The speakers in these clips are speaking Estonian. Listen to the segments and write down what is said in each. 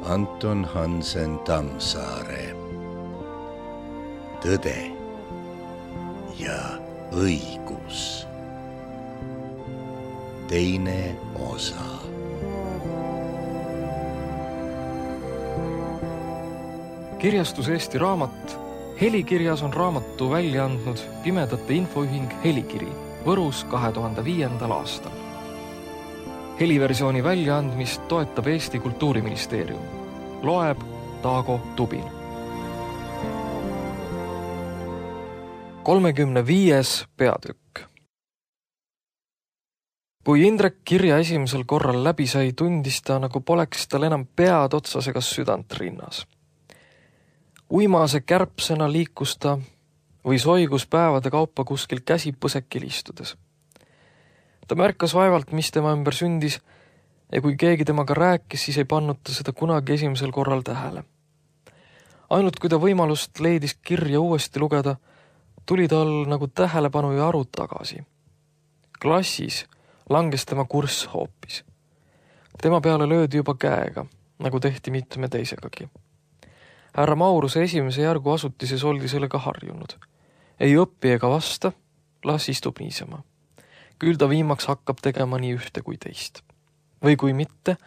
Anton Hansen Tammsaare. Tõde ja õigus. Teine osa. Kirjastus Eesti Raamat. Helikirjas on raamatu välja andnud Pimedate Infoühing Helikiri Võrus 2005. aastal. Heliversiooni väljaandmist toetab Eesti Kultuuriministeerium. Loeb Taago Tubin. 35. peatükk. Kui Indrek kirja esimesel korral läbi sai, tundis ta, nagu poleks tal enam pead otsas ega südant rinnas. Uimase kärpsena liikus ta või soigus päevade kaupa kuskil käsi põsekil istudes. Ta märkas vaevalt, mis tema ümber sündis, ja kui keegi temaga rääkis, siis ei pannud ta seda kunagi esimesel korral tähele. Ainult kui ta võimalust leidis kirja uuesti lugeda, tuli tal nagu tähelepanu ja aru tagasi. Klassis langes tema kurss hoopis. Tema peale löödi juba käega, nagu tehti mitme teisegagi. Härra Mauruse esimese järgu asutises oldi sellega harjunud. Ei õppi ega vasta, las istub niisama. Küll ta viimaks hakkab tegema nii ühte kui teist. Või kui mitte,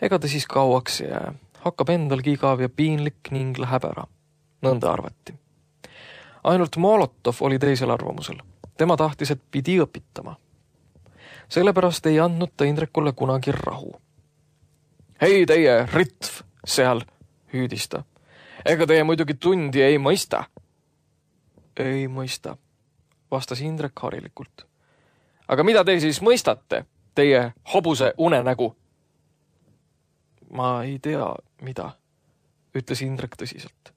ega ta siis kauaks jää. Hakkab endalgi igav ja piinlik ning läheb ära. Nõnda arvati. Ainult Molotov oli teisel arvamusel. Tema tahtis, et pidi õpitama. Sellepärast ei andnud ta Indrekule kunagi rahu. Hei teie, Ritv, seal, hüüdis ta. Ega teie muidugi tundi ei mõista? Ei mõista, vastas Indrek harilikult. Aga mida te siis mõistate, teie hobuse unenägu? Ma ei tea, mida, ütles Indrek tõsiselt.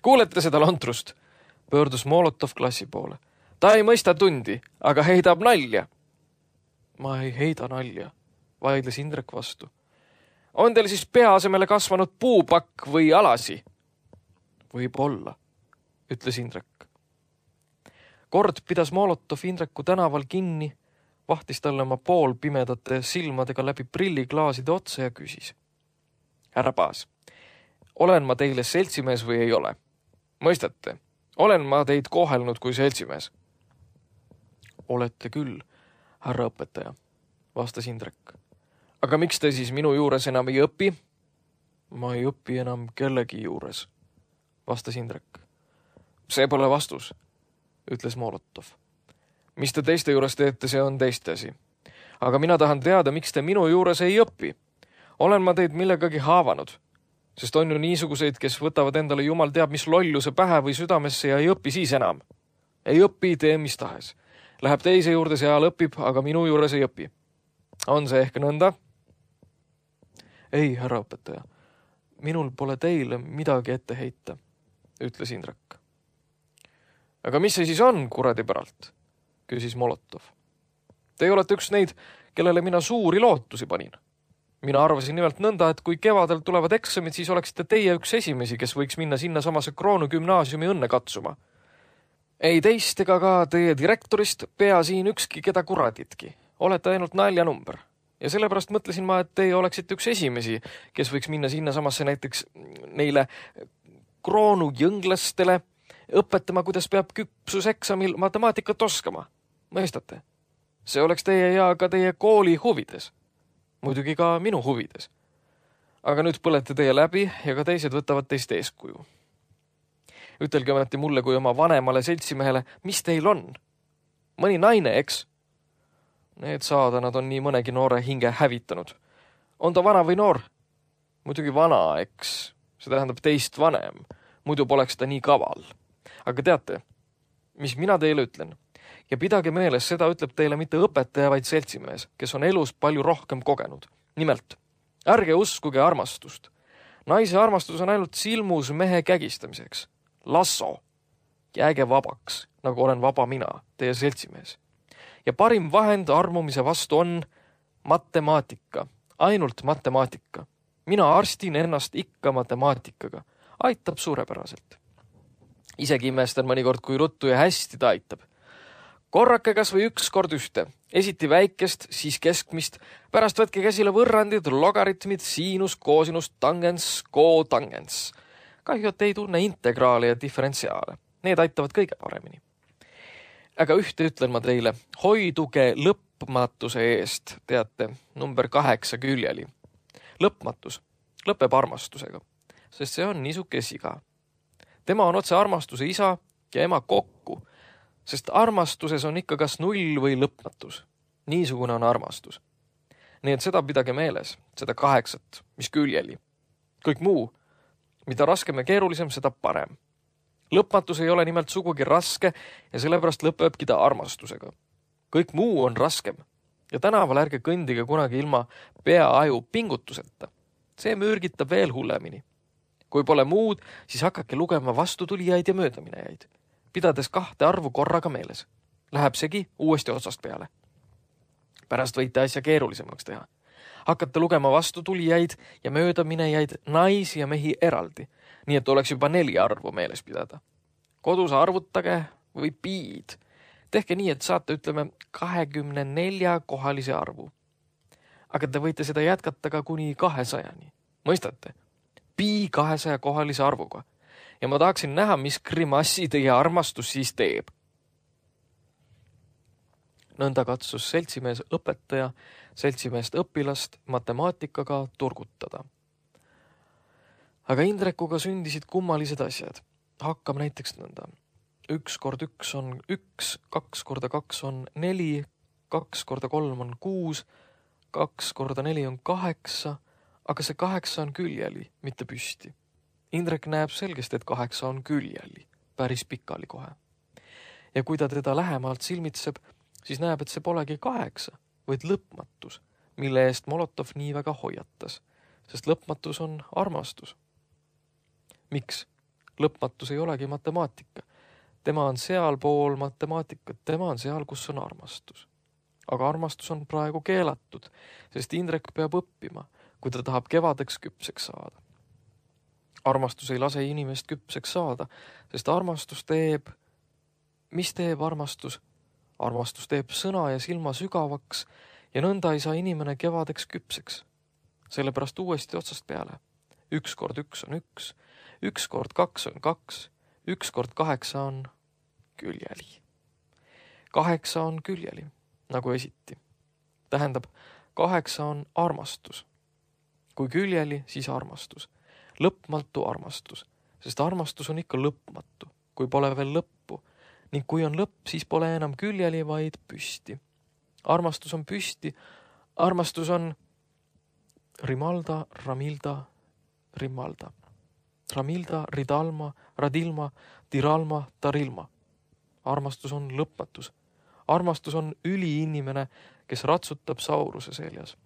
Kuulete seda lontrust? Pöördus Molotov klassi poole. Ta ei mõista tundi, aga heidab nalja. Ma ei heida nalja, vaidles Indrek vastu. On teil siis pea asemele kasvanud puupakk või alasi? Võib-olla, ütles Indrek. Kord pidas Molotov Indreku tänaval kinni, vahtis talle oma poolpimedate silmadega läbi prilliklaaside otsa ja küsis. Härra Paas, olen ma teile seltsimees või ei ole? Mõistate, olen ma teid kohelnud kui seltsimees? Olete küll, härra õpetaja, vastas Indrek. Aga miks te siis minu juures enam ei õpi? Ma ei õpi enam kellegi juures, vastas Indrek. See pole vastus, ütles Molotov. Mis te teiste juures teete, see on teiste asi. Aga mina tahan teada, miks te minu juures ei õpi. Olen ma teid millegagi haavanud, sest on ju niisuguseid, kes võtavad endale jumal teab mis lolluse pähe või südamesse ja ei õpi siis enam. Ei õpi, tee mis tahes. Läheb teise juurde, seal õpib, aga minu juures ei õpi. On see ehk nõnda? Ei, härra õpetaja, minul pole teile midagi ette heita, ütles Indrek. Aga mis see siis on, kuradi päralt? Küsis Molotov. Te olete üks neid, kellele mina suuri lootusi panin. Mina arvasin nimelt nõnda, et kui kevadel tulevad eksamid, siis oleksite teie üks esimesi, kes võiks minna sinna samase Kroonu gümnaasiumi õnne katsuma. Ei teist ega ka teie direktorist pea siin ükski keda kuraditki. Olete ainult naljanumber. Ja sellepärast mõtlesin ma, et teie oleksite üks esimesi, kes võiks minna sinna samasse näiteks neile Kroonu jõnglastele õpetama, kuidas peab küpsuseksamil matemaatikat oskama. Mõistate? See oleks teie ja ka teie kooli huvides. Muidugi ka minu huvides. Aga nüüd põlete teie läbi ja ka teised võtavad teist eeskuju. Ütelge ometi mulle kui oma vanemale seltsimehele, mis teil on? Mõni naine, eks? Need saadanad on nii mõnegi noore hinge hävitanud. On ta vana või noor? Muidugi vana, eks. See tähendab teist vanem. Muidu poleks ta nii kaval. Aga teate, mis mina teile ütlen? Ja pidage meeles, seda ütleb teile mitte õpetaja, vaid seltsimees, kes on elus palju rohkem kogenud. Nimelt, ärge uskuge armastust. Naise armastus on ainult silmus mehe kägistamiseks. Lasso. Jääge vabaks, nagu olen vaba mina, teie seltsimees. Ja parim vahend armumise vastu on matemaatika. Ainult matemaatika. Mina arstin ennast ikka matemaatikaga. Aitab suurepäraselt. Isegi imestan mõnikord, kui ruttu ja hästi ta aitab. Korrake kas või 1 kord 1. Esiti väikest, siis keskmist. Pärast võtke käsile võrrandid, logaritmid, siinus, koosinus, tangens, kotangens. Kahju, et ei tunne integraale ja diferentsiaale. Need aitavad kõige paremini. Aga ühte ütlen ma teile. Hoiduge lõpmatuse eest. Teate, number 8 küljeli. Lõpmatus lõpeb armastusega, sest see on niisuke siga. Tema on otse armastuse isa ja ema kokku, sest armastuses on ikka kas 0 või lõpmatus. Niisugune on armastus. Nii et seda pidage meeles, seda 8, mis küljeli. Kõik muu, mida raskem ja keerulisem, seda parem. Lõpmatus ei ole nimelt sugugi raske ja sellepärast lõpebki ta armastusega. Kõik muu on raskem ja tänaval ärge kõndige kunagi ilma pea-aju pingutuseta. See mürgitab veel hullemini. Kui pole muud, siis hakake lugema vastutulijaid ja möödaminejaid, pidades 2 arvu korraga meeles. Läheb segi uuesti otsast peale. Pärast võite asja keerulisemaks teha. Hakkate lugema vastutulijaid ja möödaminejaid, naisi ja mehi eraldi, nii et oleks juba 4 arvu meeles pidada. Kodus arvutage või piid. Tehke nii, et saate, ütleme, 24 kohalise arvu. Aga te võite seda jätkata ka kuni 200-ni. Mõistate? Pi 200 kohalise arvuga. Ja ma tahaksin näha, mis grimassi teie armastus siis teeb. Nõnda katsus seltsimees õpetaja seltsimeest õpilast matemaatikaga turgutada. Aga Indrekuga sündisid kummalised asjad. Hakkame näiteks nõnda. 1 kord 1 on 1, 2 korda 2 on 4, 2 korda 3 on 6, 2 korda 4 on 8, aga see 8 on küljeli, mitte püsti. Indrek näeb selgesti, et 8 on küljeli, päris pikali kohe. Ja kui ta teda lähemalt silmitseb, siis näeb, et see polegi 8, vaid lõpmatus, mille eest Molotov nii väga hoiatas, sest lõpmatus on armastus. Miks? Lõpmatus ei olegi matemaatika. Tema on sealpool matemaatikat, tema on seal, kus on armastus. Aga armastus on praegu keelatud, sest Indrek peab õppima, kui ta tahab kevadeks küpseks saada. Armastus ei lase inimest küpseks saada, sest armastus teeb... Mis teeb armastus? Armastus teeb sõna ja silma sügavaks ja nõnda ei saa inimene kevadeks küpseks. Sellepärast uuesti otsast peale. 1 kord 1 on 1, 1 kord 2 on 2, 1 kord 8 on küljeli. 8 on küljeli, nagu esiti. Tähendab, 8 on armastus. Kui küljeli, siis armastus. Lõpmatu armastus, sest armastus on ikka lõpmatu, kui pole veel lõppu. Ning kui on lõpp, siis pole enam küljeli, vaid püsti. Armastus on püsti. Armastus on rimalda, ramilda, rimalda. Ramilda, ridalma, radilma, tiralma, tarilma. Armastus on lõpmatus. Armastus on üliinimene, kes ratsutab Sauruse seljas.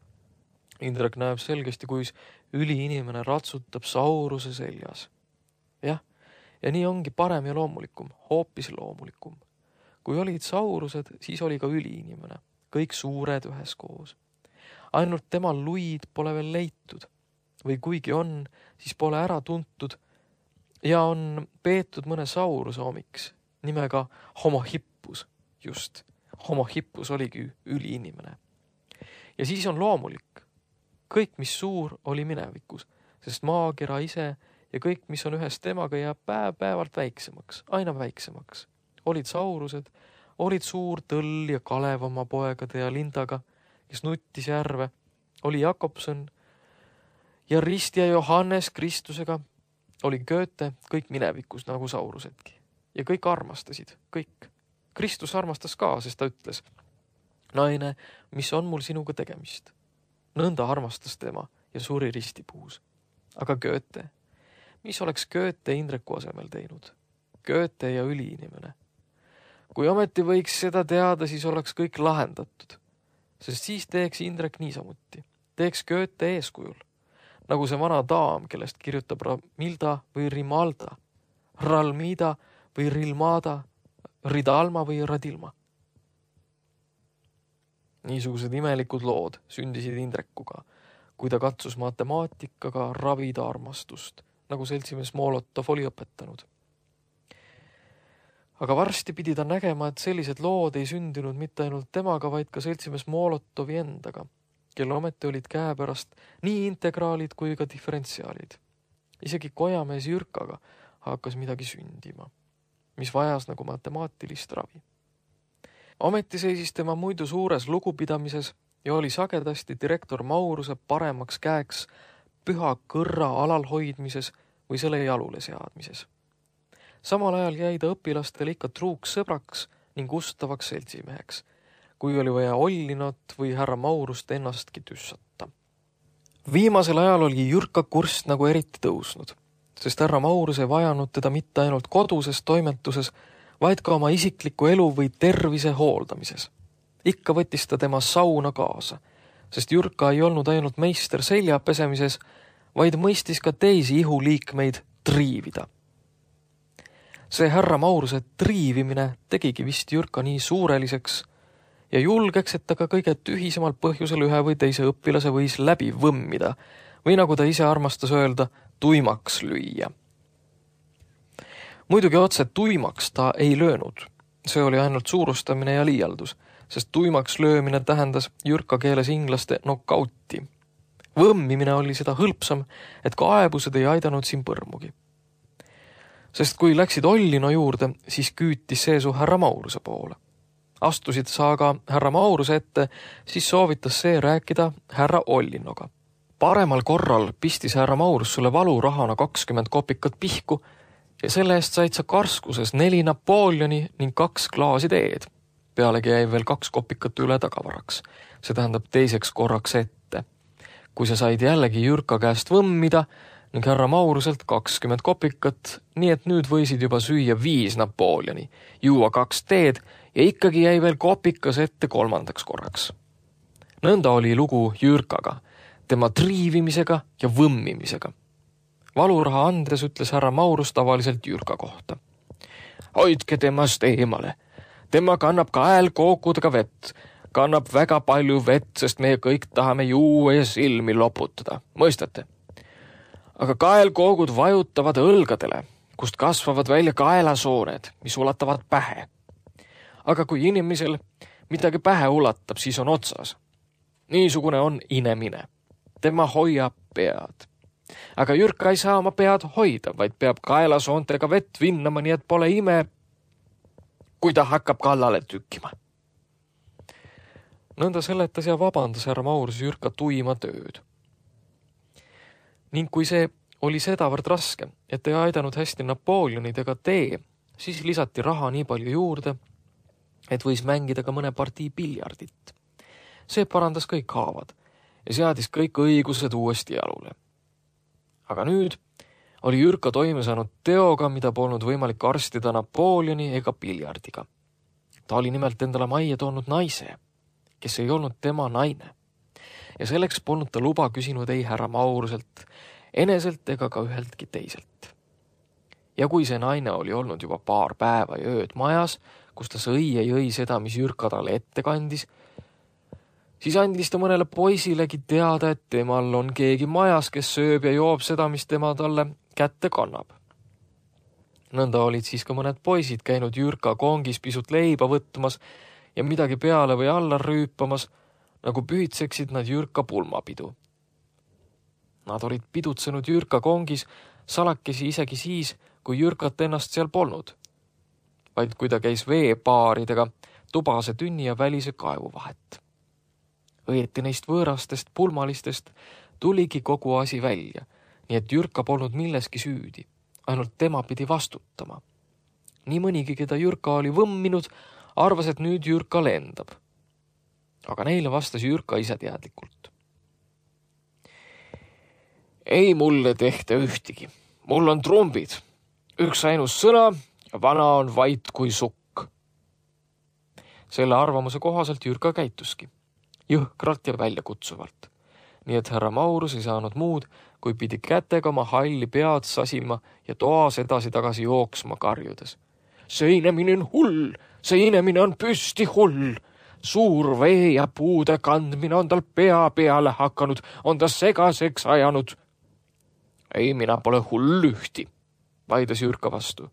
Indrek näeb selgesti, kuis üliinimene ratsutab Sauruse seljas. Jah, ja nii ongi parem ja loomulikum, hoopis loomulikum. Kui olid Saurused, siis oli ka üliinimene, kõik suured üheskoos. Ainult temal luid pole veel leitud. Või kuigi on, siis pole ära tuntud ja on peetud mõne Sauruse omiks, nimega Homohippus, just. Homohippus oligi üliinimene. Ja siis on loomulik. Kõik, mis suur, oli minevikus, sest maakera ise ja kõik, mis on ühes temaga, jääb päev-päevalt väiksemaks, aina väiksemaks. Olid Saurused, olid suur Tõll ja Kalev oma poegade ja Lindaga, kes nuttis järve, oli Jakobson ja Rist ja Johannes Kristusega, oli Goethe, kõik minevikus nagu Saurusedki. Ja kõik armastasid, kõik. Kristus armastas ka, sest ta ütles, naine, mis on mul sinuga tegemist? Nõnda armastas tema ja suri ristipuus. Aga Goethe, mis oleks Goethe Indreku asemel teinud? Goethe ja üliinimene. Kui ometi võiks seda teada, siis oleks kõik lahendatud. Sest siis teeks Indrek niisamuti. Teeks Goethe eeskujul. Nagu see vana daam, kellest kirjutab Ramilda või Rimalda, Ralmida või Rilmada, Ridalma või Radilma. Niisugused imelikud lood sündisid Indrekuga, kui ta katsus matemaatikaga ravida armastust, nagu seltsimees Molotov oli õpetanud. Aga varsti pidi ta nägema, et sellised lood ei sündinud mitte ainult temaga, vaid ka seltsimees Molotovi endaga, kelle ometi olid käepärast nii integraalid kui ka diferentsiaalid. Isegi kojamees Jürkaga hakkas midagi sündima, mis vajas nagu matemaatilist ravi. Ometi seisis tema muidu suures lugupidamises ja oli sagedasti direktor Mauruse paremaks käeks püha kõrra alalhoidmises või selle jalule seadmises. Samal ajal jäi ta õpilastele ikka truuks sõbraks ning ustavaks seltsimeheks, kui oli vaja Ollinot või härra Maurust ennastki tüssata. Viimasel ajal oli Jürka kurss nagu eriti tõusnud, sest härra Maurus ei vajanud teda mitte ainult koduses toimetuses, vaid ka oma isikliku elu või tervise hooldamises. Ikka võttis ta tema sauna kaasa, sest Jürka ei olnud ainult meister selja pesemises, vaid mõistis ka teisi ihuliikmeid triivida. See härra Mauruse triivimine tegigi vist Jürka nii suureliseks ja julgeks, et ta ka kõige tühisemal põhjusel ühe või teise õpilase võis läbi võmmida või nagu ta ise armastas öelda, tuimaks lüüa. Muidugi otse tuimaks ta ei löönud. See oli ainult suurustamine ja liialdus, sest tuimaks löömine tähendas Jürka keeles inglaste knockouti. Võmmimine oli seda hõlpsam, et kaebused ei aidanud siin põrmugi. Sest kui läksid Ollino juurde, siis küütis see su härra Mauruse poole. Astusid sa aga härra Mauruse ette, siis soovitas see rääkida härra Ollinoga. Paremal korral pistis härra Maurus sulle valurahana 20 kopikat pihku ja selle eest said sa karskuses 4 Napoleoni ning 2 klaasi teed. Pealegi jäi veel 2 kopikat üle tagavaraks. See tähendab teiseks korraks ette. Kui sa said jällegi Jürka käest võmmida ning härra Mauruselt 20 kopikat, nii et nüüd võisid juba süüa 5 Napoleoni, juua 2 teed ja ikkagi jäi veel kopikas ette 3. korraks. Nõnda oli lugu Jürkaga, tema triivimisega ja võmmimisega. Valuraha andes ütles härra Maurus tavaliselt Jürka kohta. Hoidke temast eemale. Tema kannab kaelkookudega vett. Kannab väga palju vett, sest meie kõik tahame juua ja silmi loputada. Mõistate? Aga kaelkoogud vajutavad õlgadele, kust kasvavad välja kaelasooned, mis ulatavad pähe. Aga kui inimesel midagi pähe ulatab, siis on otsas. Niisugune on inemine. Tema hoiab pead. Aga Jürka ei saa oma pead hoida, vaid peab kaelasoontega vett vinnama, nii et pole ime, kui ta hakkab kallale tükkima. Nõnda seletas ja vabandas härra Maurus Jürka tuima tööd. Ning kui see oli sedavõrd raske, et ei aidanud hästi Napoleonid ega tee, siis lisati raha nii palju juurde, et võis mängida ka mõne partii piljardit. See parandas kõik haavad ja seadis kõik õigused uuesti jalule. Aga nüüd oli Jürka toime saanud teoga, mida polnud võimalik arstida Napoleoni ega piljardiga. Ta oli nimelt endale majja toonud naise, kes ei olnud tema naine. Ja selleks polnud ta luba küsinud ei härra Mauruselt, eneselt ega ka üheltki teiselt. Ja kui see naine oli olnud juba paar päeva ja ööd majas, kus ta sõi ja jõi seda, mis Jürka talle ette kandis, siis andis ta mõnele poisilegi teada, et temal on keegi majas, kes sööb ja joob seda, mis tema talle kätte kannab. Nõnda olid siis ka mõned poisid käinud Jürka kongis pisut leiba võtmas ja midagi peale või alla rüüpamas, nagu pühitseksid nad Jürka pulmapidu. Nad olid pidutsenud Jürka kongis salakesi isegi siis, kui Jürkat ennast seal polnud, vaid kui ta käis veepaaridega tubase tünni ja välise kaevu vahet. Õieti neist võõrastest pulmalistest tuligi kogu asi välja, nii et Jürka polnud milleski süüdi, ainult tema pidi vastutama. Nii mõnigi, keda Jürka oli võmminud, arvas, et nüüd Jürka lendab. Aga neile vastas Jürka ise teadlikult. Ei mulle tehta ühtigi. Mul on trumbid. Üks ainus sõna ja vana on vait kui sukk. Selle arvamuse kohaselt Jürka käituski. Jõhkralt ja väljakutsuvalt. Nii et härra Maurus ei saanud muud, kui pidi kätega oma halli pead sasima ja toas edasi-tagasi jooksma karjudes. See inemine on hull, see inemine on püsti hull. Suur vee ja puude kandmine on tal pea peale hakanud, on ta segaseks ajanud. Ei, mina pole hull ühti, vaidas Jürka vastu.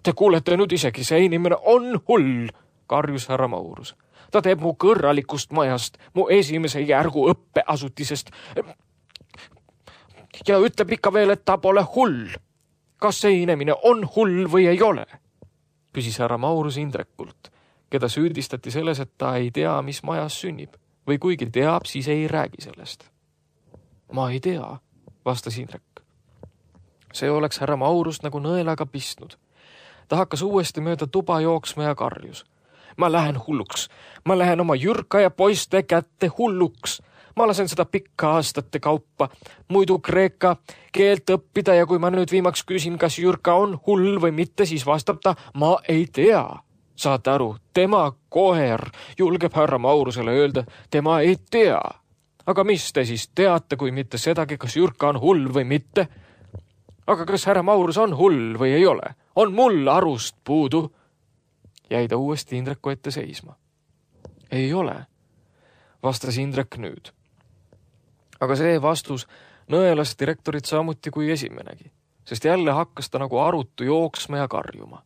Te kuulete nüüd isegi, see inimene on hull, karjus härra Maurus. Ta teeb mu kõrralikust majast, mu esimese järgu õppeasutisest ja ütleb ikka veel, et ta pole hull. Kas see inimene on hull või ei ole? Küsis härra Maurus Indrekult, keda süüdistati selles, et ta ei tea, mis majas sünnib. Või kuigi teab, siis ei räägi sellest. Ma ei tea, vastas Indrek. See oleks härra Maurust nagu nõelaga pistnud. Ta hakkas uuesti mööda tuba jooksma ja karjus. Ma lähen hulluks. Ma lähen oma Jürka ja poiste kätte hulluks. Ma lasen seda pikka aastate kaupa muidu kreeka keelt õppida ja kui ma nüüd viimaks küsin, kas Jürka on hull või mitte, siis vastab ta, ma ei tea. Saate aru, tema koer julgeb härra Maurusele öelda, tema ei tea. Aga mis te siis teate, kui mitte sedagi, kas Jürka on hull või mitte? Aga kas härra Maurus on hull või ei ole? On mul arust puudu? Jäi ta uuesti Indreku ette seisma. Ei ole, vastas Indrek nüüd. Aga see vastus nõelas direktorit samuti kui esimenegi, sest jälle hakkas ta nagu arutu jooksma ja karjuma.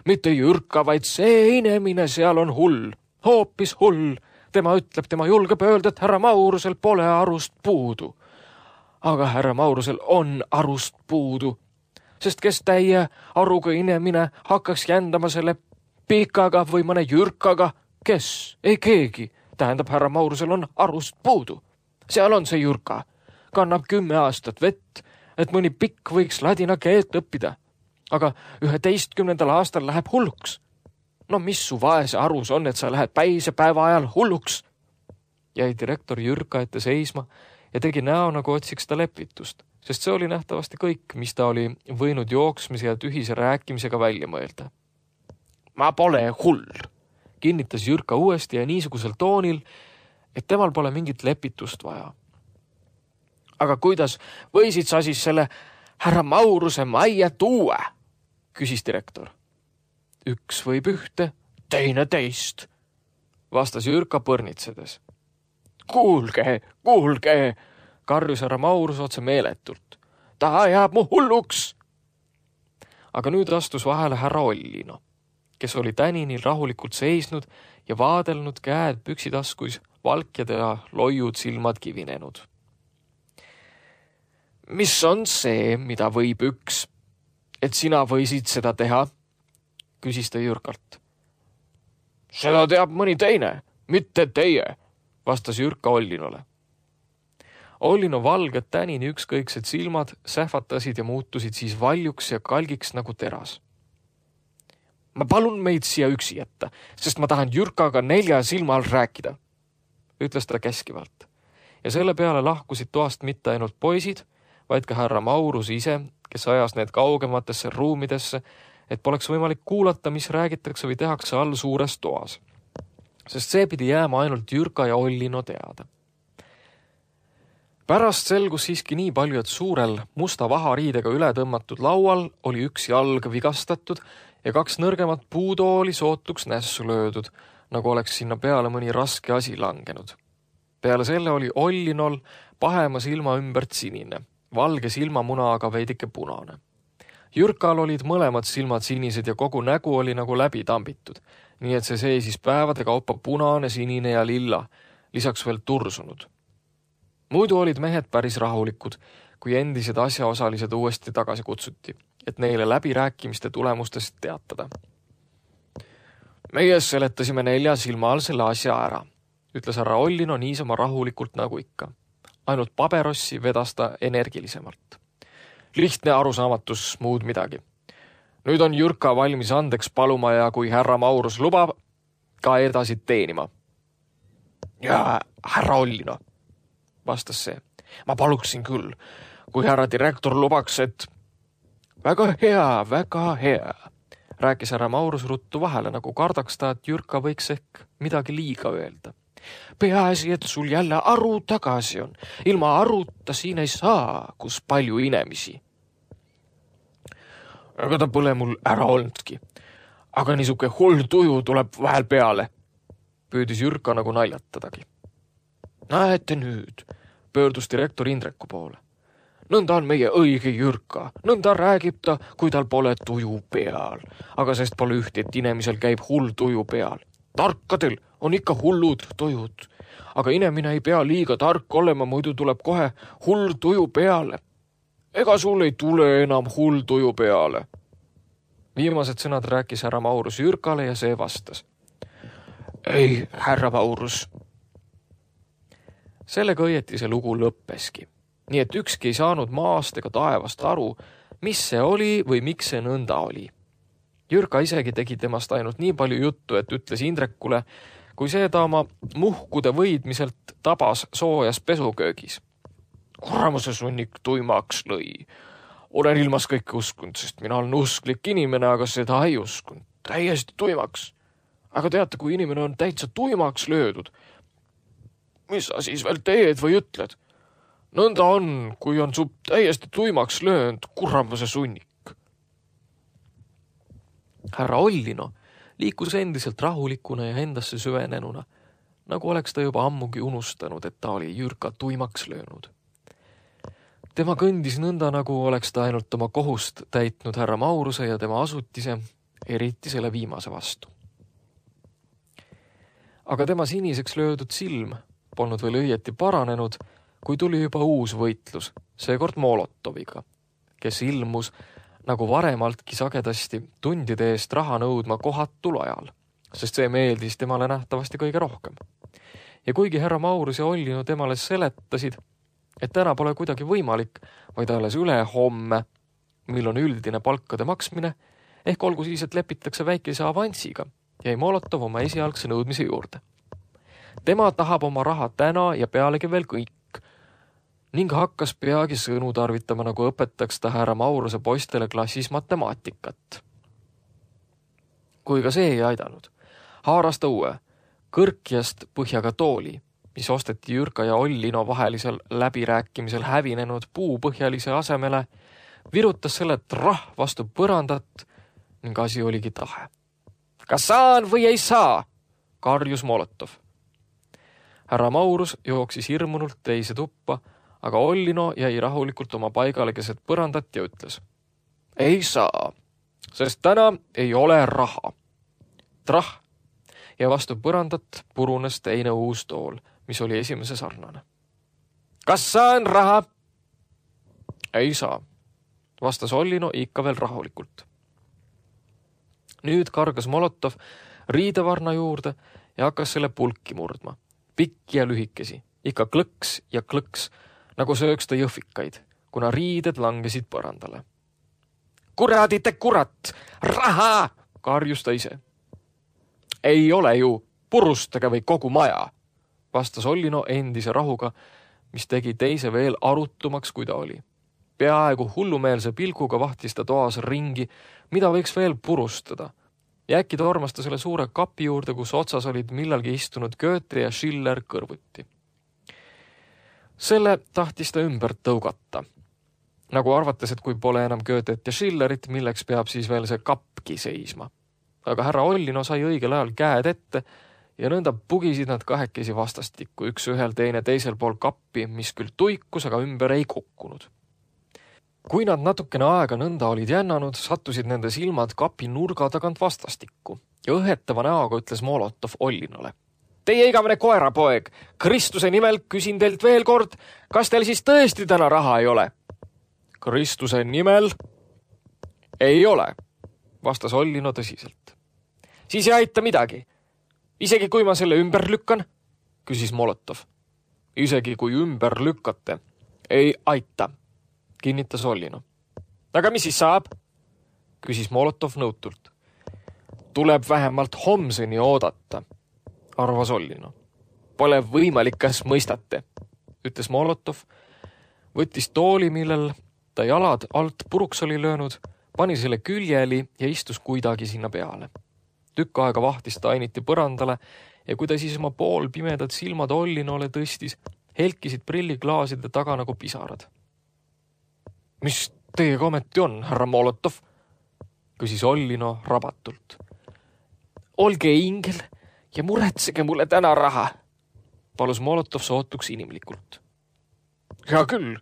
Mitte Jürka, vaid see inimene seal on hull, hoopis hull. Tema ütleb, tema julgeb öelda, et härra Maurusel pole arust puudu. Aga härra Maurusel on arust puudu, sest kes täie aruga inimene hakkaks jändama selle pikaga või mõne Jürkaga, kes, ei keegi. Tähendab, härra Maurusel on arust puudu. Seal on see Jürka, kannab 10 aastat vett, et mõni pikk võiks ladina keelt õppida. Aga 11. aastal läheb hulluks. No mis su vaese arus on, et sa lähed päisepäeva ajal hulluks? Jäi direktor Jürka ette seisma ja tegi näo, nagu otsiks ta lepitust, sest see oli nähtavasti kõik, mis ta oli võinud jooksmise ja tühise rääkimisega välja mõelda. Ma pole hull, kinnitas Jürka uuesti ja niisugusel toonil, et temal pole mingit lepitust vaja. Aga kuidas võisid sa siis selle härra Mauruse majja tuua? Küsis direktor. Üks võib ühte, teine teist, vastas Jürka põrnitsedes. Kuulge, karjus härra Maurus otse meeletult. Ta ajab mu hulluks. Aga nüüd astus vahele härra Ollino, kes oli täninil rahulikult seisnud ja vaadelnud käed püksitaskuis, valkjad ja loiud silmad kivinenud. Mis on see, mida võib üks, et sina võisid seda teha? Küsis ta Jürkalt. Seda teab mõni teine, mitte teie, vastas Jürka Ollinole. Ollino valged tänini ükskõiksed silmad sähvatasid ja muutusid siis valjuks ja kalgiks nagu teras. Ma palun meid siia üksi jätta, sest ma tahan Jürkaga 4 silma all rääkida, ütles ta käskivalt. Ja selle peale lahkusid toast mitte ainult poisid, vaid ka härra Maurus ise, kes ajas need kaugematesse ruumidesse, et poleks võimalik kuulata, mis räägitakse või tehakse all suures toas. Sest see pidi jääma ainult Jürka ja Ollino teada. Pärast selgus siiski nii palju, et suurel musta vahariidega üle tõmmatud laual oli üks jalg vigastatud ja 2 nõrgemat puudooli sootuks nässu löödud, nagu oleks sinna peale mõni raske asi langenud. Peale selle oli Ollinol pahema silma ümbert sinine, valge silmamuna aga veidike punane. Jürkal olid mõlemad silmad sinised ja kogu nägu oli nagu läbi tambitud, nii et see seisis päevade kaupa punane, sinine ja lilla, lisaks veel tursunud. Muidu olid mehed päris rahulikud, kui endised asjaosalised uuesti tagasi kutsuti, et neile läbirääkimiste tulemustest teatada. Meie seletasime 4 silma all selle asja ära, ütles härra Ollino niisama rahulikult nagu ikka. Ainult paberossi vedas ta energilisemalt. Lihtne arusaamatus, muud midagi. Nüüd on Jürka valmis andeks paluma ja kui härra Maurus lubab, ka edasi teenima. Ja härra Ollino, vastas see. Ma paluksin küll, kui härra direktor lubaks, et... Väga hea, rääkis härra Maurus ruttu vahele, nagu kardaks ta, et Jürka võiks ehk midagi liiga öelda. Peaasi, et sul jälle aru tagasi on. Ilma aruta siin ei saa, kus palju inimesi. Ega ta pole mul ära olnudki. Aga niisuke hull tuju tuleb vahel peale. Püüdis Jürka nagu naljatadagi. Näete nüüd, pöördus direktor Indreku poole. Nõnda on meie õige Jürka, nõnda räägib ta, kui tal pole tuju peal. Aga sest pole üht, et inimesel käib hull tuju peal. Tarkadel on ikka hullud tujud. Aga inimene ei pea liiga tark olema, muidu tuleb kohe hull tuju peale. Ega sul ei tule enam hull tuju peale. Viimased sõnad rääkis härra Maurus Jürkale ja see vastas. Ei, härra Maurus. Sellega õieti see lugu lõppeski. Nii et ükski ei saanud maast ega taevast aru, mis see oli või miks see nõnda oli. Jürka isegi tegi temast ainult nii palju juttu, et ütles Indrekule, kui see ta oma muhkude võidmiselt tabas soojas pesuköögis. Kuramuse sunnik tuimaks lõi. Olen ilmas kõike uskunud, sest mina olen usklik inimene, aga seda ei uskunud. Täiesti tuimaks. Aga teate, kui inimene on täitsa tuimaks löödud, mis sa siis veel teed või ütled? Nõnda on, kui on su täiesti tuimaks löönud kuramuse sunnik. Härra Ollino liikus endiselt rahulikuna ja endasse süvenenuna, nagu oleks ta juba ammugi unustanud, et ta oli Jürka tuimaks löönud. Tema kõndis nõnda, nagu oleks ta ainult oma kohust täitnud härra Mauruse ja tema asutise, eriti selle viimase vastu. Aga tema siniseks löödud silm polnud veel õieti paranenud, kui tuli juba uus võitlus, seekord Molotoviga, kes ilmus nagu varemaltki sagedasti tundide eest raha nõudma kohatul ajal, sest see meeldis temale nähtavasti kõige rohkem. Ja kuigi härra Maurus ja Ollino temale seletasid, et täna pole kuidagi võimalik, vaid alles üle homme, mil on üldine palkade maksmine, ehk olgu siis, et lepitakse väikese avansiga, jäi Molotov oma esialgse nõudmise juurde. Tema tahab oma raha täna ja pealegi veel kõik, ning hakkas peagi sõnu tarvitama, nagu õpetaks ta härra Mauruse poistele klassis matemaatikat. Kui ka see ei aidanud, haaras ta uue, kõrkjast põhjaga tooli, mis osteti Jürka ja Ollino vahelisel läbirääkimisel hävinenud puupõhjalise asemele, virutas selle trah vastu põrandat ning asi oligi tahe. Kas saan või ei saa? Karjus Molotov. Härra Maurus jooksis hirmunult teise tuppa, aga Ollino jäi rahulikult oma paigale keset põrandat ja ütles. Ei saa, sest täna ei ole raha. Trah ja vastu põrandat purunes teine uus tool, mis oli esimese sarnane. Kas saan raha? Ei saa, vastas Ollino ikka veel rahulikult. Nüüd kargas Molotov riidevarna juurde ja hakkas selle pulki murdma. Pikki ja lühikesi, ikka klõks ja klõks, nagu sööks ta jõhvikaid, kuna riided langesid põrandale. Kuradite kurat! Raha! Karjus ta ise. Ei ole ju, purustage või kogu maja, vastas Ollino endise rahuga, mis tegi teise veel arutumaks, kui ta oli. Peaaegu hullumeelse pilguga vahtis ta toas ringi, mida võiks veel purustada. Ja äkki tormas ta selle suure kapi juurde, kus otsas olid millalgi istunud Goethe ja Schiller kõrvuti. Selle tahtis ta ümber tõugata. Nagu arvates, et kui pole enam Goethet ja Schillerit, milleks peab siis veel see kapki seisma. Aga härra Ollino sai õigel ajal käed ette ja nõnda pugisid nad kahekesi vastastikku, üks ühel teine teisel pool kappi, mis küll tuikus, aga ümber ei kukkunud. Kui nad natukene aega nõnda olid jännanud, sattusid nende silmad kapi nurga tagant vastastikku ja õhetava näoga ütles Molotov Ollinole. Teie igavene koerapoeg, Kristuse nimel küsin teilt veel kord, kas teil siis tõesti täna raha ei ole? Kristuse nimel ei ole, vastas Ollino tõsiselt. Siis ei aita midagi. Isegi kui ma selle ümber lükkan, küsis Molotov. Isegi kui ümber lükkate, ei aita, kinnitas Ollino. Aga mis siis saab? Küsis Molotov nõutult. Tuleb vähemalt homseni oodata, arvas Ollino. Pole võimalik, kas mõistate, ütles Molotov, võttis tooli, millel ta jalad alt puruks oli löönud, pani selle küljeli ja istus kuidagi sinna peale. Tükk aega vahtis ta ainiti põrandale ja kui ta siis oma pool pimedad silmad Ollinole tõstis, helkisid prilliklaaside taga nagu pisarad. Mis teiega ometi on, härra Molotov? Küsis Ollino rabatult. Olge ingel ja muretsege mulle täna raha, palus Molotov sootuks inimlikult. Hea küll,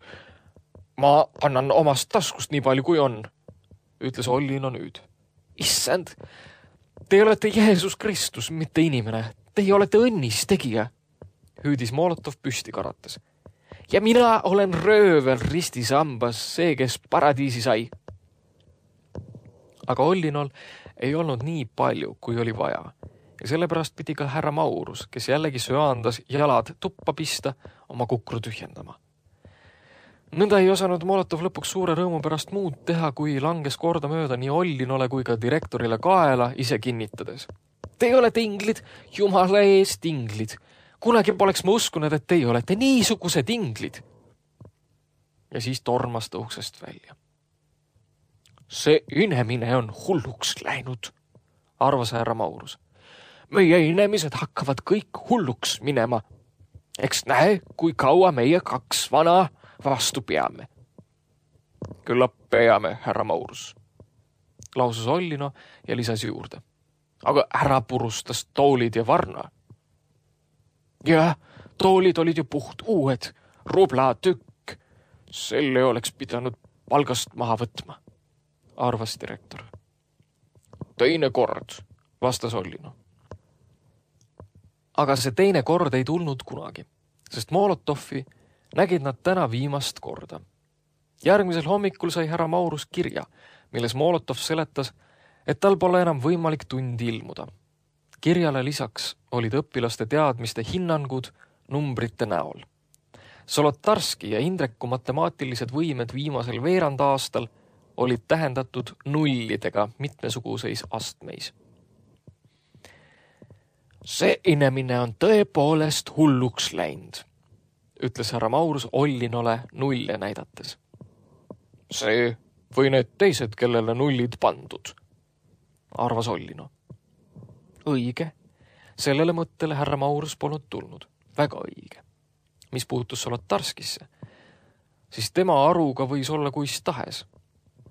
Ma annan omast taskust nii palju kui on, ütles Ollino nüüd. Issand, te olete Jeesus Kristus, mitte inimene. Teie olete õnnis tegija, hüüdis Molotov püsti karates. Ja mina olen röövel ristisambas, see, kes paradiisi sai. Aga Ollinol ei olnud nii palju, kui oli vaja. Ja sellepärast pidi ka härra Maurus, kes jällegi söandas jalad tuppa pista, oma kukru tühjendama. Nõnda ei osanud Molotov lõpuks suure rõõmu pärast muud teha, kui langes kordamööda nii Ollinole kui ka direktorile kaela ise kinnitades. Te olete inglid, jumala eest inglid. Kunagi poleks ma uskunud, et teie olete niisugused inglid. Ja siis tormas ta uksest välja. See inemine on hulluks läinud, arvas härra Maurus. Meie inimesed hakkavad kõik hulluks minema. Eks näe, kui kaua meie kaks vana vastu peame. Küllap peame, härra Maurus, lausus Ollino ja lisas juurde. Aga ära purustas toolid ja varna. Ja, toolid olid ju puht uued, rubla tükk. Selle oleks pidanud palgast maha võtma, arvas direktor. Teine kord, vastas Ollino. Aga see teine kord ei tulnud kunagi, sest Molotovi nägid nad täna viimast korda. Järgmisel hommikul sai härra Maurus kirja, milles Molotov seletas, et tal pole enam võimalik tundi ilmuda. Kirjale lisaks olid õpilaste teadmiste hinnangud numbrite näol. Solotarski ja Indreku matemaatilised võimed viimasel veerand aastal olid tähendatud nullidega mitmesuguseis astmeis. See inemine on tõepoolest hulluks läinud, ütles härra Maurus Ollinole nulle näidates. See või need teised, kellele nullid pandud, arvas Ollino. Õige. Sellele mõttele härra Maurus polnud tulnud. Väga õige. Mis puutus Solotarskisse, siis tema aruga võis olla kuis tahes.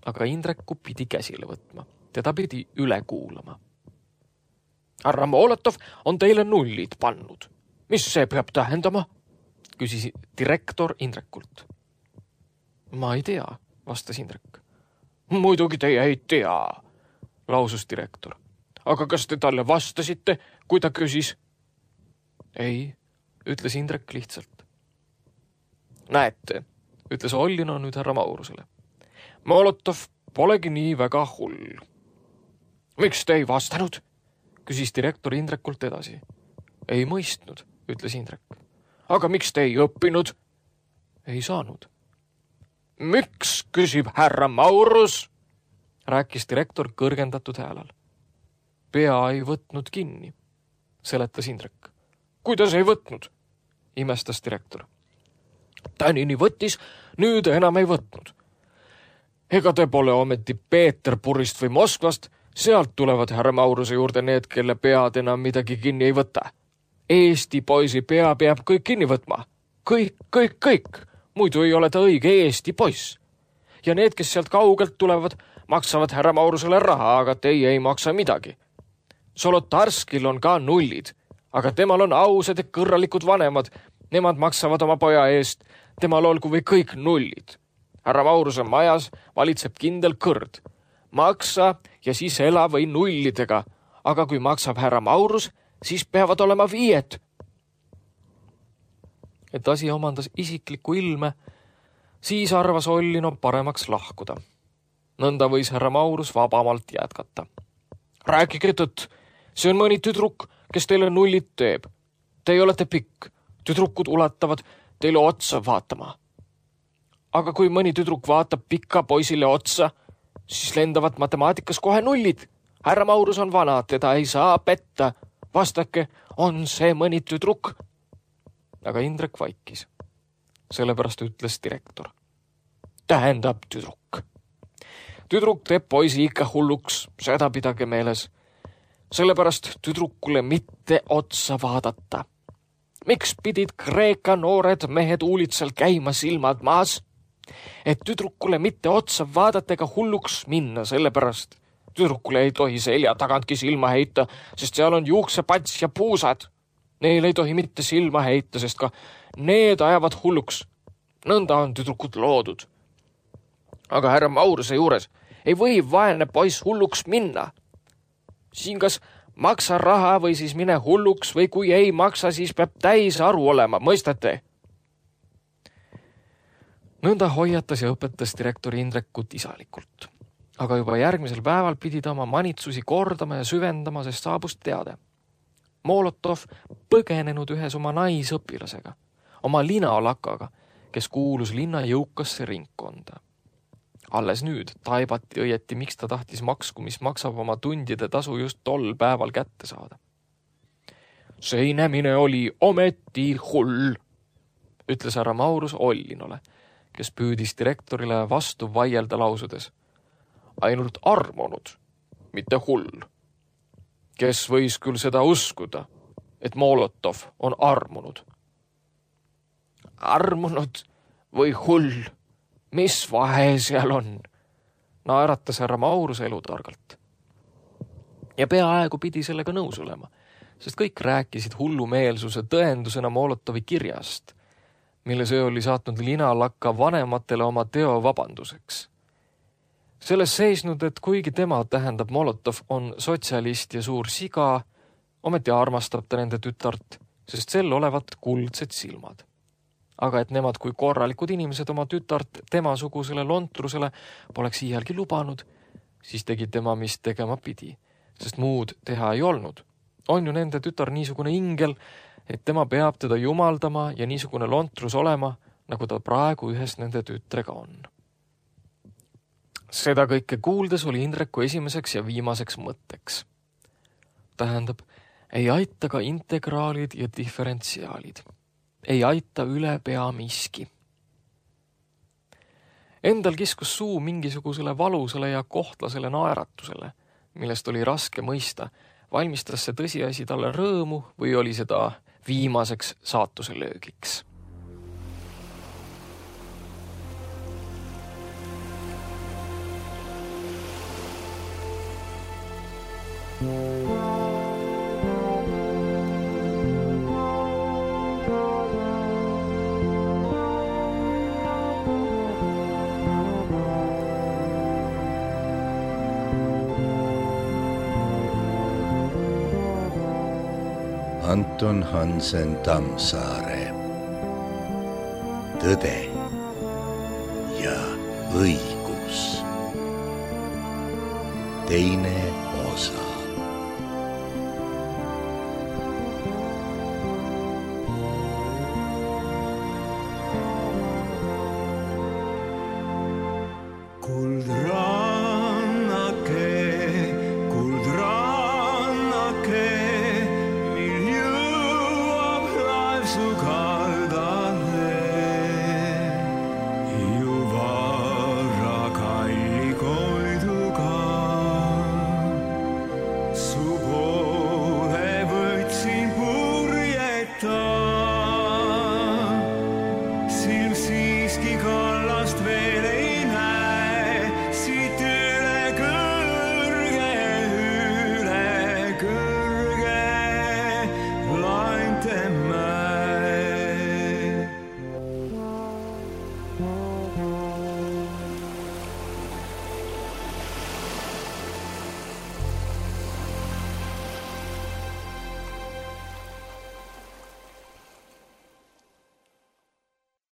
Aga Indreku pidi käsile võtma. Teda pidi üle kuulama. Härra Molotov on teile nullid pannud. Mis see peab tähendama? Küsis direktor Indrekult. Ma ei tea, vastas Indrek. Muidugi teie ei tea, lausus direktor. Aga kas te talle vastasite, kui ta küsis? Ei, ütles Indrek lihtsalt. Näete, ütles Ollino nüüd härra Maurusele. Molotov polegi nii väga hull. Miks te ei vastanud? Küsis direktor Indrekult edasi. Ei mõistnud, ütles Indrek. Aga miks te ei õppinud? Ei saanud. Miks, küsib härra Maurus? Rääkis direktor kõrgendatud häälal. Pea ei võtnud kinni, seletas Indrek. Kuidas ei võtnud? Imestas direktor. Tänini võttis, nüüd enam ei võtnud. Ega te pole ometi Peterburist või Moskvast, sealt tulevad härra Mauruse juurde need, kelle pead enam midagi kinni ei võta. Eesti poisi pea peab kõik kinni võtma. Kõik. Muidu ei ole ta õige Eesti poiss. Ja need, kes sealt kaugelt tulevad, maksavad härra Maurusele raha, aga teie ei maksa midagi. Solotarskil on ka nullid, aga temal on ausad ja kõrralikud vanemad. Nemad maksavad oma poja eest, temal olgu või kõik nullid. Härra Mauruse majas valitseb kindel kõrd. Maksa ja siis ela või nullidega, aga kui maksab härra Maurus, siis peavad olema 5. Et asi omandas isiklikku ilme, siis arvas Ollino paremaks lahkuda. Nõnda võis härra Maurus vabamalt jätkata. Rääkige tõtt, see on mõni tüdruk, kes teile nullid teeb. Teie olete pikk, tüdrukud ulatavad teile otsa vaatama. Aga kui mõni tüdruk vaatab pika poisile otsa, siis lendavad matemaatikas kohe nullid. Härra Maurus on vana, teda ei saa petta. Vastake, on see mõni tüdruk? Aga Indrek vaikis. Sellepärast ütles direktor. Tähendab tüdruk. Tüdruk teeb poisi ikka hulluks, seda pidage meeles. Sellepärast tüdrukule mitte otsa vaadata. Miks pidid Kreeka noored mehed uulitsel käima silmad maas? Et tüdrukule mitte otsa vaadata ega hulluks minna, sellepärast tüdrukule ei tohi selja tagantki silma heita, sest seal on juuksepats ja puusad. Neil ei tohi mitte silma heita, sest ka need ajavad hulluks. Nõnda on tüdrukud loodud. Aga härra Mauruse juures ei või vaene poiss hulluks minna. Siin kas maksa raha või siis mine hulluks või kui ei maksa, siis peab täis aru olema, mõistate? Nõnda hoiatas ja õpetas direktor Indrekut isalikult. Aga juba järgmisel päeval pidi ta oma manitsusi kordama ja süvendama, sest saabus teade. Molotov põgenenud ühes oma naisõpilasega, oma linalakaga, kes kuulus linna jõukasse ringkonda. Alles nüüd taibati õieti, miks ta tahtis maksku, mis maksab oma tundide tasu just tol päeval kätte saada. See inemine oli ometi hull, ütles härra Maurus Ollinole, kes püüdis direktorile vastu vaielda lausudes. Ainult armunud, mitte hull. Kes võis küll seda uskuda, et Molotov on armunud? Armunud või hull? Mis vahe seal on? Naeratas härra Maurus elutargalt. Ja peaaegu pidi sellega nõus olema, sest kõik rääkisid hullumeelsuse tõendusena Molotovi kirjast, mille see oli saatnud linalakka vanematele oma teo vabanduseks. Selles seisnud, et kuigi tema, tähendab Molotov, on sotsialist ja suur siga, ometi armastab ta nende tütart, sest sel olevat kuldsed silmad. Aga et nemad kui korralikud inimesed oma tütart temasugusele lontrusele poleks iialgi lubanud, siis tegi tema, mis tegema pidi, sest muud teha ei olnud. On ju nende tütar niisugune ingel, et tema peab teda jumaldama ja niisugune lontrus olema, nagu ta praegu ühes nende tütrega on. Seda kõike kuuldes oli Indreku esimeseks ja viimaseks mõtteks. Tähendab, ei aita ka integraalid ja diferentsiaalid. Ei aita üle pea miski. Endal kiskus suu mingisugusele valusele ja kohtlasele naeratusele, millest oli raske mõista, valmistas see tõsiasi talle rõõmu või oli seda viimaseks saatuse löögiks. Anton Hansen Tammsaare. Tõde ja õigus. Teine osa.